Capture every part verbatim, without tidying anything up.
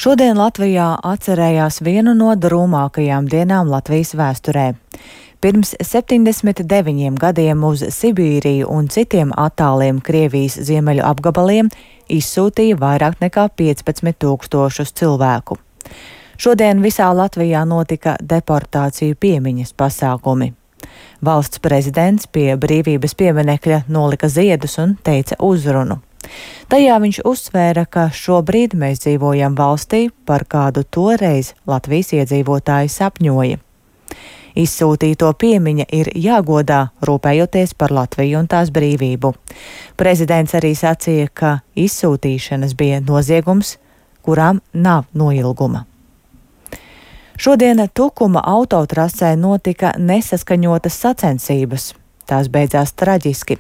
Šodien Latvijā atcerējās vienu no drūmākajām dienām Latvijas vēsturē. Pirms septiņdesmit deviņiem gadiem uz Sibīriju un citiem attāliem Krievijas ziemeļu apgabaliem izsūtīja vairāk nekā piecpadsmit tūkstošus cilvēku. Šodien visā Latvijā notika deportāciju piemiņas pasākumi. Valsts prezidents pie brīvības pieminekļa nolika ziedus un teica uzrunu. Tajā viņš uzsvēra, ka šobrīd mēs dzīvojam valstī, par kādu toreiz Latvijas iedzīvotāji sapņoja. Izsūtīto piemiņa ir jāgodā, rūpējoties par Latviju un tās brīvību. Prezidents arī sacīja, ka izsūtīšanas bija noziegums, kurām nav noilguma. Šodien Tukuma autotrasē notika nesaskaņotas sacensības. Tās beidzās traģiski.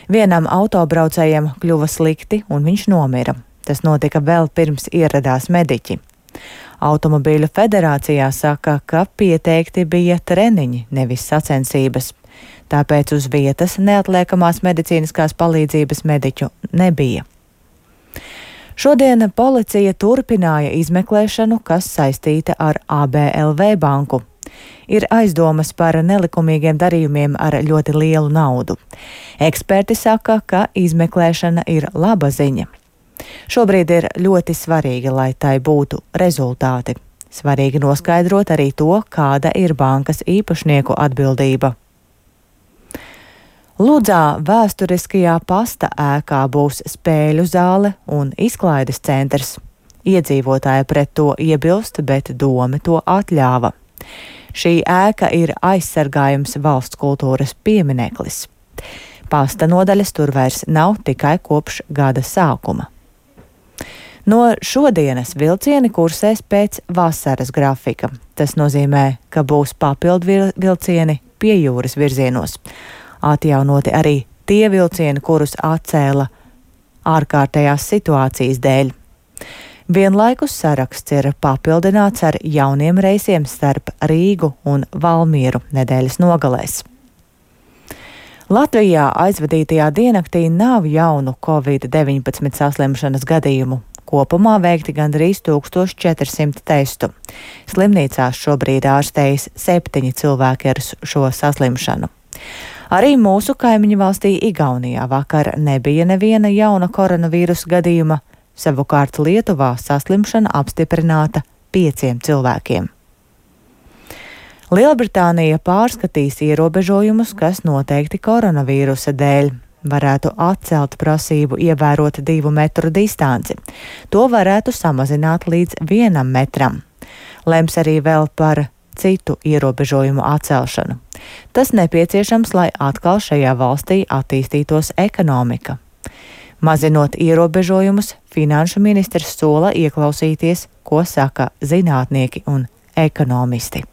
Vienam autobraucējam kļuva slikti un viņš nomira. Tas notika vēl pirms ieradās mediķi. Automobīļu federācijā saka, ka pieteikti bija treniņi, nevis sacensības. Tāpēc uz vietas neatliekamās medicīniskās palīdzības mediķu nebija. Šodien policija turpināja izmeklēšanu, kas saistīta ar A B L V banku. Ir aizdomas par nelikumīgiem darījumiem ar ļoti lielu naudu. Eksperti saka, ka izmeklēšana ir laba ziņa. Šobrīd ir ļoti svarīgi, lai tai būtu rezultāti. Svarīgi noskaidrot arī to, kāda ir bankas īpašnieku atbildība. Ludzā vēsturiskajā pasta ēkā būs spēļu zāle un izklaides centrs. Iedzīvotāji pret to iebilst, bet dome to atļāva. Šī ēka ir aizsargājums valsts kultūras piemineklis. Pasta nodaļas tur vairs nav tikai kopš gada sākuma. No šodienas vilcieni kursēs pēc vasaras grafika. Tas nozīmē, ka būs papildu vilcieni pie jūras virzienos. Atjaunoti arī tie vilcieni, kurus atcēla ārkārtējās situācijas dēļ. Vienlaikus saraksts ir papildināts ar jauniem reisiem starp Rīgu un Valmieru nedēļas nogalēs. Latvijā aizvadītajā diennaktī nav jaunu covid deviņpadsmit saslimšanas gadījumu. Kopumā veikti gandrīz tūkstoš četri simti testu. Slimnīcās šobrīd ārstējas septiņi cilvēki ar šo saslimšanu. Arī mūsu kaimiņu valstī Igaunijā vakar nebija neviena jauna koronavīrusa gadījuma, savukārt Lietuvā saslimšana apstiprināta pieciem cilvēkiem. Lielbritānija pārskatīs ierobežojumus, kas noteikti koronavīrusa dēļ. Varētu atcelt prasību ievērot divu metru distanci. To varētu samazināt līdz vienam metram. Lems arī vēl par citu ierobežojumu atcelšanu. Tas nepieciešams, lai atkal šajā valstī attīstītos ekonomika. Mazinot ierobežojumus, finanšu ministrs sola ieklausīties, ko saka zinātnieki un ekonomisti.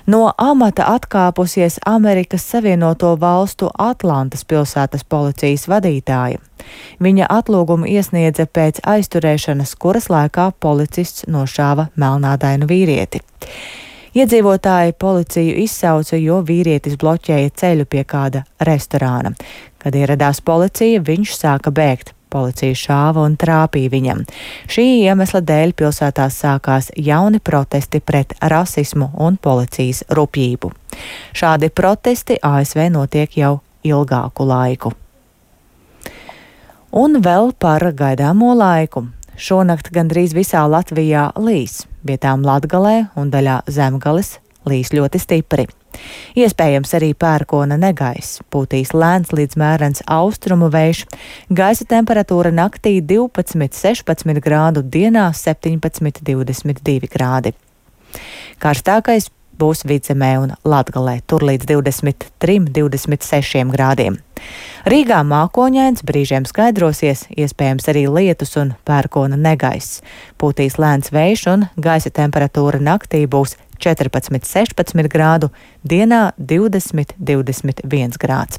No amata atkāpusies Amerikas Savienoto Valstu Atlantas pilsētas policijas vadītāja. Viņa atlūgumu iesniedza pēc aizturēšanas, kuras laikā policists nošāva melnādainu vīrieti. Iedzīvotāji policiju izsauca, jo vīrietis bloķēja ceļu pie kāda restorāna. Kad ieradās policija, viņš sāka bēgt. Policija šāva un trāpīja viņam. Šī iemesla dēļ pilsētā sākās jauni protesti pret rasismu un policijas rupjību. Šādi protesti A S V notiek jau ilgāku laiku. Un vēl par gaidāmo laiku. Šonakt gandrīz visā Latvijā līs, vietām Latgalē un daļā Zemgales līs ļoti stipri. Iespējams arī pērkona negaiss, pūtīs lēns līdz mērens austrumu vējš, gaisa temperatūra naktī divpadsmit sešpadsmit grādu, dienā septiņpadsmit divdesmit divi grādi. Karstākais būs Vidzemē un Latgalē, tur līdz divdesmit trim divdesmit sešiem grādiem. Rīgā mākoņains, brīžiem skaidrosies, iespējams arī lietus un pērkona negaiss. Pūtīs lēns vējš un gaisa temperatūra naktī būs četrpadsmit sešpadsmit grādu, dienā divdesmit divdesmit viens grāds.